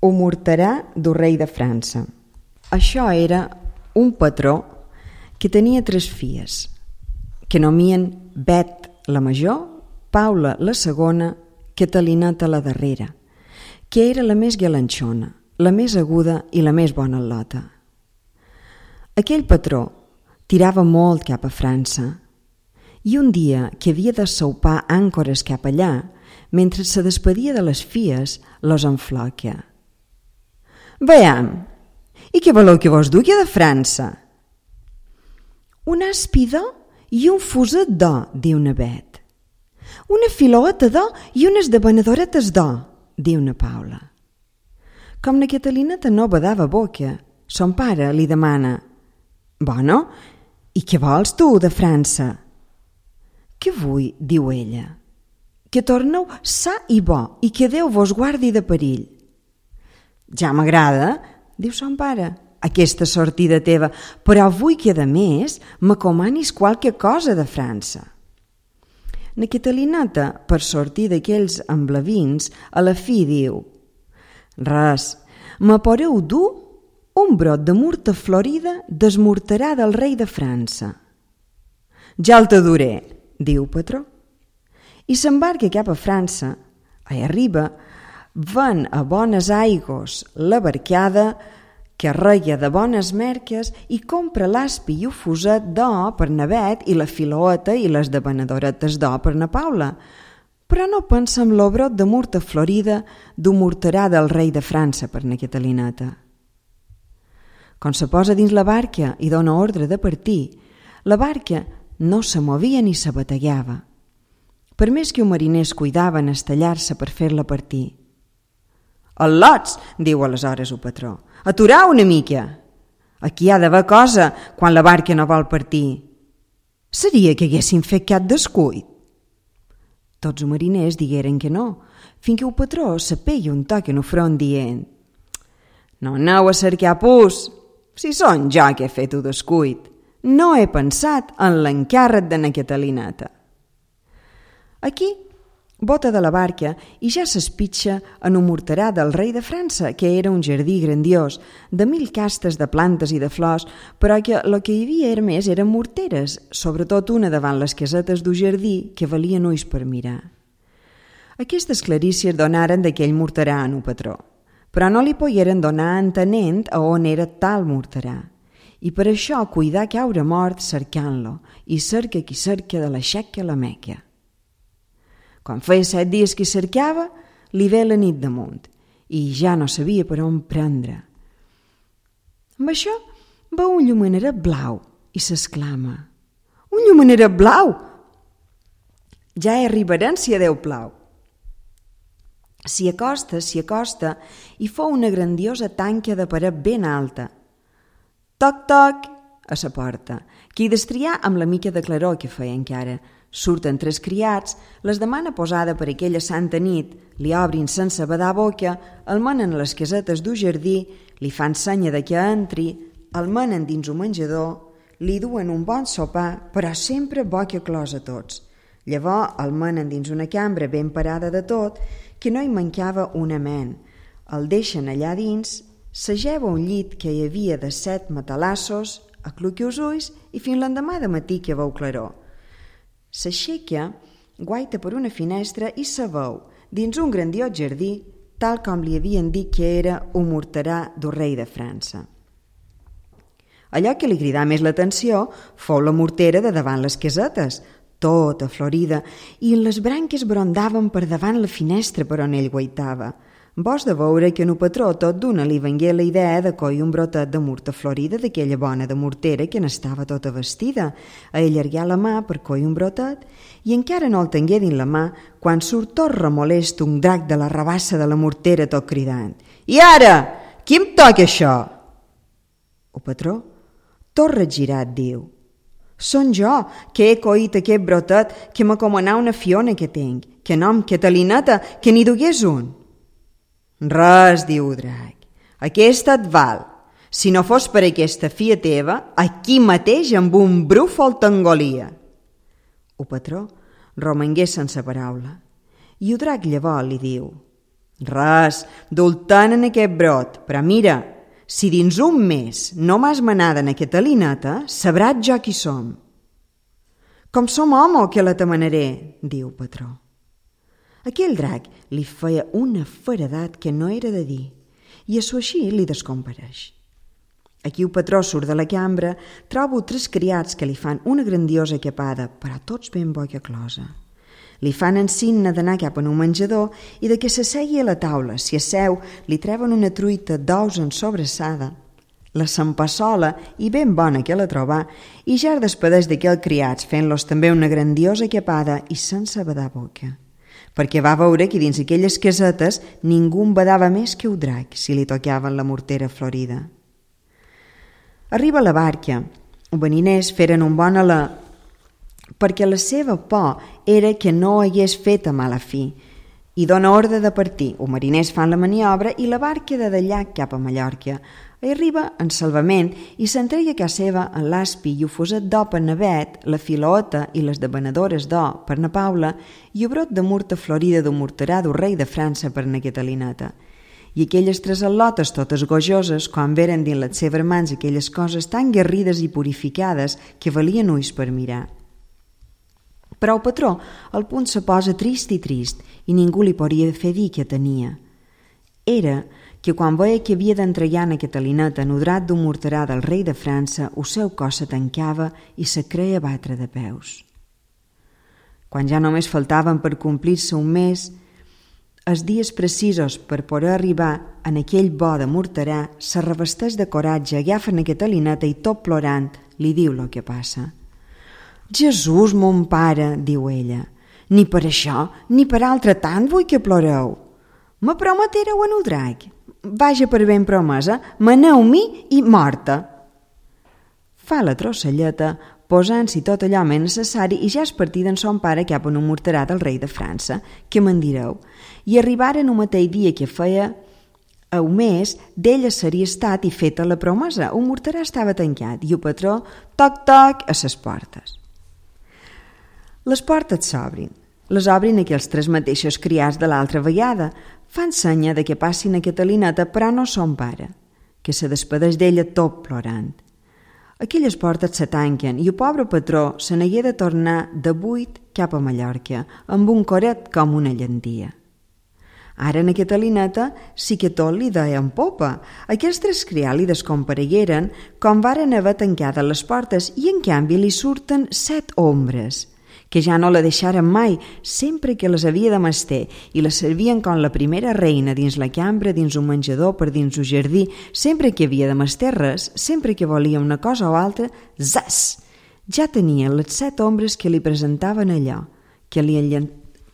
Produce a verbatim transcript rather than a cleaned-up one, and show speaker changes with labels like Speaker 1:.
Speaker 1: Ho morterà del rei de França. Això era un patró que tenia tres filles, que nomien Bet la major, Paula la segona, Catalineta la darrera, que era la més galanxona, la més aguda i la més bona al·lota. Aquell patró tirava molt cap a França i un dia que havia de soupar àncores cap allà, mentre se despedia de les filles, los enfloquia. «Veam, i què voleu que vos dugui de França?» «Un aspi d'or i un fuset d'or», diu una Bet. «Una filota d'or i unes debanadoretes d'or», diu una Paula. Com la Catalineta no badava boca, son pare li demana: «Bueno, i què vols tu de França?» «Què vull?» diu ella. «Que torneu sa i bo i que Déu vos guardi de perill». «Ja m'agrada», diu son pare, «aquesta sortida teva, però vull que, a més, m'acomanis qualque cosa de França». La Catalineta, per sortir d'aquells emblavins, a la fi diu: «Res, me podeu dur un brot de murta florida desmortarà del rei de França». «Ja el te duré», diu patró. I s'embarca cap a França. Hi arriba, ven a bones aigos la barcada, que reia de bones merques i compra l'aspi i un fuset d'or per na Bet i la filota i les debanadoretes d'or per na Paula, però no pensa en l'obrot de murta florida d'ho morterà del rei de França per na Catalineta. Quan se posa dins la barca i dona ordre de partir, la barca no se movia ni se bategava, per més que un mariner es cuidava en estallar-se per fer-la partir. «Al·lots», diu aleshores el patró, «aturau una mica. Aquí hi ha d'haver cosa quan la barca no vol partir. Seria que haguessin fet cap descuit». Tots els mariners digueren que no, fins que el patró se peia un toc en el front dient: «No aneu a cercar pus, si són jo que he fet el descuit. No he pensat en l'encàrrec de na Catalineta». Aquí bota de la barca i ja s'espitxa en un morterà del rei de França, que era un jardí grandiós, de mil castes de plantes i de flors, però que el que hi havia era més eren morteres, sobretot una davant les casetes d'un jardí que valien ulls per mirar. Aquestes clarícies donaren d'aquell morterà en un patró, però no li pogueren donar entenent a on era tal morterà, i per això cuidar caure mort cercant-lo, i cerca qui cerca de la xeca a la Meca. Quan feia set dies que cercava, li ve la nit damunt i ja no sabia per on prendre. Amb això veu un llumeneret blau i s'exclama: «Un llumeneret blau! Ja hi arribarem si a Déu plau». S'hi acosta, s'hi acosta i fou una grandiosa tanca de paret ben alta. Toc, toc, a sa porta, que hi destrià amb la mica de claror que feia encara. Surten tres criats, les demana posada per aquella santa nit, li obrin sense badar boca, el menen a les casetes d'un jardí, li fan senya de que entri, el menen dins un menjador, li duen un bon sopar, però sempre boca closa tots. Llavors el menen dins una cambra ben parada de tot, que no hi mancava una ment. El deixen allà dins, s'ajeva un llit que hi havia de set matalassos, acluqui els ulls i fins l'endemà de matí que veu claror. S'aixeca, guaita per una finestra i se veu, dins un grandiós jardí, tal com li havien dit que era un morterà del rei de França. Allò que li cridà més l'atenció fou la mortera de davant les casetes, tota florida, i les branques brondaven per davant la finestra per on ell guaitava. Vos de veure que en el patró tot d'una li vengué la idea de coi un brotet de murta florida d'aquella bona de mortera que n'estava tota vestida, a allargar la mà per coi un brotet, i encara no el tengué dins la mà quan surt tot remolest un drac de la rabassa de la mortera tot cridant: «I ara, qui em toca això?» El patró, tot regirat, diu: «Són jo, que he coït aquest brotet que m'acomanà una fiona que tinc, que nom Catalineta, que n'hi dugués un». «Res», diu el drac, «aquesta et val. Si no fos per aquesta filla teva, aquí mateix amb un brúfol t'engolia». El patró romangué sense paraula, i el drac llavors li diu: Res, doltant en aquest brot, però mira, si dins un mes no m'has manada en aquesta lineta, sabràs jo qui som. Com som homo que la t'amanaré, diu patró. Aquell drac li feia una feredat que no era de dir, i això així li descompareix. Aquí el patró surt de la cambra, trobo tres criats que li fan una grandiosa capada, però tots ben boia closa. Li fan ensigna d'anar cap en un menjador i de que s'assegui a la taula. Si asseu, li treuen una truita d'ous en sobrassada, la s'empassola i ben bona que la troba, i ja es despedeix d'aquell criats fent-los també una grandiosa capada i sense badar boca, perquè va veure que dins aquelles casetes ningú en badava més que un drac si li tocaven la mortera florida. Arriba la barca. Els mariners feren un bon alè perquè la seva por era que no hagués fet a mala fi i dona ordre de partir. Els mariners fan la maniobra i la barca de d'allà cap a Mallorca. Hi arriba en salvament i s'entreia a casa seva en l'aspi i ho foset d'or per Navet, la filoota i les debanadores d'or per na Paula i el brot de murta florida d'un morterà d'un rei de França per na Catalineta. I aquelles tres al·lotes totes gojoses, quan veren dins les seves mans aquelles coses tan guerrides i purificades que valien ulls per mirar. Però el patró al punt se posa trist i trist i ningú li podia fer dir què tenia. Era que quan veia que havia d'entregar en Catalineta en udrat d'un morterà del rei de França, el seu cos se tancava i se creia batre de peus. Quan ja només faltaven per complir-se un mes, els dies precisos per poder arribar en aquell bo de morterà, se revesteix de coratge, agafa en Catalineta i tot plorant li diu el que passa. «Jesús, mon pare», diu ella, «ni per això, ni per altre tant vull que ploreu. Me prometereu en el drac. Vaja per ben promesa, maneu-m'hi i morta». Fa la trosselleta, posant-s'hi tot allò més necessari i ja és partida en son pare cap en un morterà del rei de França, que me'n direu, i arribaren un mateix dia que feia un mes d'ella seria estat i feta la promesa. Un morterà estava tancat i el patró, toc-toc, a ses portes. Les portes s'obrin. Les obrin aquells tres mateixos criats de l'altra vegada. Fan senya de que passin a Catalineta, però no son pare, que se despedeix d'ella tot plorant. Aquelles portes se tanquen i el pobre patró se n'hagué de tornar de buit cap a Mallorca, amb un coret com una llentia. Ara en Catalineta sí que tot li deia en popa. Aquests tres criats li descomparegueren com varen haver tancades les portes i en canvi li surten set ombres, que ja no la deixaren mai, sempre que les havia de mestir, i la servien com la primera reina dins la cambra, dins un menjador, per dins un jardí, sempre que havia de mestir res, sempre que volia una cosa o altra, zas! Ja tenia les set ombres que li presentaven allò, que li enllentaven